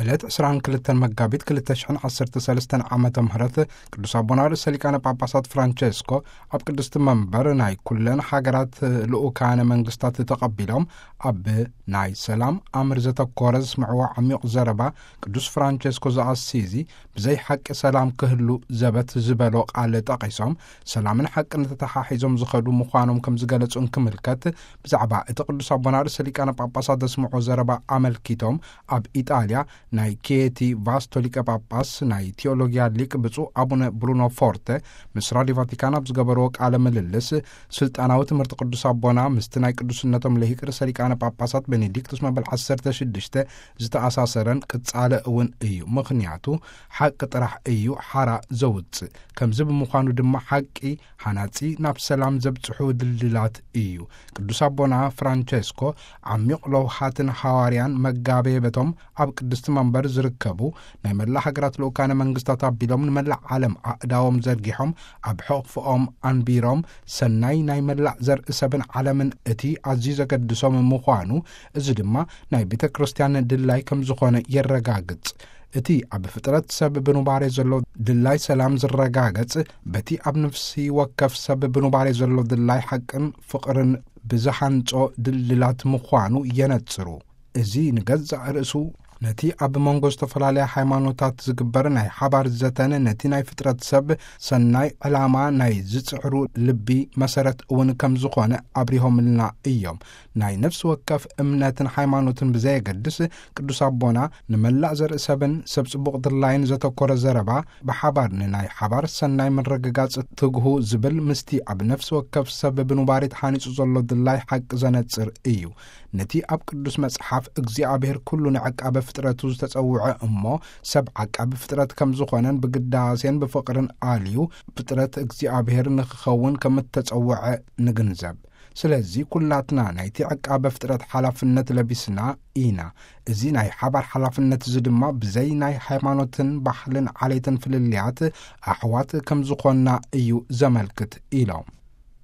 ዕለት ዕስራን ክልተን መጋቢት ክልተ ሽሕን ዓሰርተ ሰለስተን ዓመተ ምህረት ቅዱስ ኣቦና ርእሰ ሊቃነ ጳጳሳት ፍራንቸስኮ ኣብ ቅድስቲ መንበር ናይ ኩለን ሃገራት ልኡካነ መንግስታት ተቐቢሎም ኣብ ናይ ሰላም ኣምር ዘተኮረ ዝስምዕዎ ዓሚቕ ዘረባ ቅዱስ ፍራንቸስኮ ዘኣሲዚ ብዘይ ሓቂ ሰላም ክህሉ ዘበት ዝበሎ ቃል ጠቒሶም ሰላምን ሓቅን ተተሓሒዞም ዝኸዱ ምዃኖም ከም ዝገለጹ እንክምልከት ብዛዕባ እቲ ቅዱስ ኣቦና ርእሰ ሊቃነ ጳጳሳት ዘስምዖ ዘረባ ኣመልኪቶም ኣብ ኢጣልያ ናይ ኬቲ ቫስቶ ሊቀ ጳጳስ ናይ ቴዎሎጊያ ሊቅ ብፁዕ ኣቡነ ብሩኖ ፎርተ ምስ ራዲዮ ቫቲካን ኣብ ዝገበርዎ ቃለ ምልልስ ስልጣናዊ ትምህርቲ ቅዱስ ኣቦና ምስቲ ናይ ቅዱስነቶም ልሂቅ ርእሰ ሊቃነ ጳጳሳት ቤኔዲክቱስ መበል ዓሰርተ ሽዱሽተ ዝተኣሳሰረን ቅጻለ እውን እዩ። ምኽንያቱ ሓቂ ጥራሕ እዩ ሓራ ዘውጽእ። ከምዚ ብምዃኑ ድማ ሓቂ ሓናጺ ናብ ሰላም ዘብጽሑ ድልድላት እዩ። ቅዱስ ኣቦና ፍራንቸስኮ ዓሚቕ ለውሃትን ሃዋርያን መጋቤ በቶም ኣብ ቅድስቲ መንበር ዝርከቡ ናይ መላእ ሃገራት ልኡካነ መንግስታት ኣቢሎም ንመላእ ዓለም ኣእዳዎም ዘርጊሖም ኣብ ሕቕፍኦም ኣንቢሮም ሰናይ ናይ መላእ ዘርኢ ሰብን ዓለምን እቲ ኣዝዩ ዘገድሶም ምዃኑ፣ እዚ ድማ ናይ ቤተ ክርስቲያን ድላይ ከም ዝኾነ የረጋግጽ። እቲ ኣብ ፍጥረት ሰብ ብኑባሬ ዘሎ ድላይ ሰላም ዝረጋገጽ በቲ ኣብ ነፍሲ ወከፍ ሰብ ብኑባሬ ዘሎ ድላይ ሓቅን ፍቕርን ብዝሃንጾ ድልድላት ምዃኑ የነጽሩ። እዚ ንገዛእ ርእሱ ነቲ ኣብ መንጎ ዝተፈላለያ ሃይማኖታት ዝግበር ናይ ሓባር ዘተን ነቲ ናይ ፍጥረት ሰብ ሰናይ ዕላማ ናይ ዝጽዕሩ ልቢ መሰረት እውን ከም ዝኾነ ኣብሪሆምልና እዮም። ናይ ነፍሲ ወከፍ እምነትን ሃይማኖትን ብዘየገድስ ቅዱስ ኣቦና ንመላእ ዘርኢ ሰብን ሰብ ጽቡቕ ድላይን ዘተኮረ ዘረባ ብሓባር ንናይ ሓባር ሰናይ ምርግጋጽ ትግሁ ዝብል ምስቲ ኣብ ነፍሲ ወከፍ ሰብ ብኑባሬ ተሃኒጹ ዘሎ ድላይ ሓቂ ዘነጽር እዩ። ነቲ ኣብ ቅዱስ መጽሓፍ እግዚኣብሔር ኩሉ ንዕቃበ ፍጥረቱ ዝተጸውዐ እሞ ሰብ ዓቃቢ ፍጥረት ከም ዝኾነን ብግዳሴን ብፍቕርን ኣልዩ ፍጥረት እግዚኣብሔር ንክኸውን ከም እተጸውዐ ንግንዘብ። ስለዚ ኩላትና ናይቲ ዕቃበ ፍጥረት ሓላፍነት ለቢስና ኢና። እዚ ናይ ሓባር ሓላፍነት እዚ ድማ ብዘይ ናይ ሃይማኖትን ባህልን ዓሌትን ፍልልያት ኣሕዋት ከም ዝኾንና እዩ ዘመልክት ኢሎም።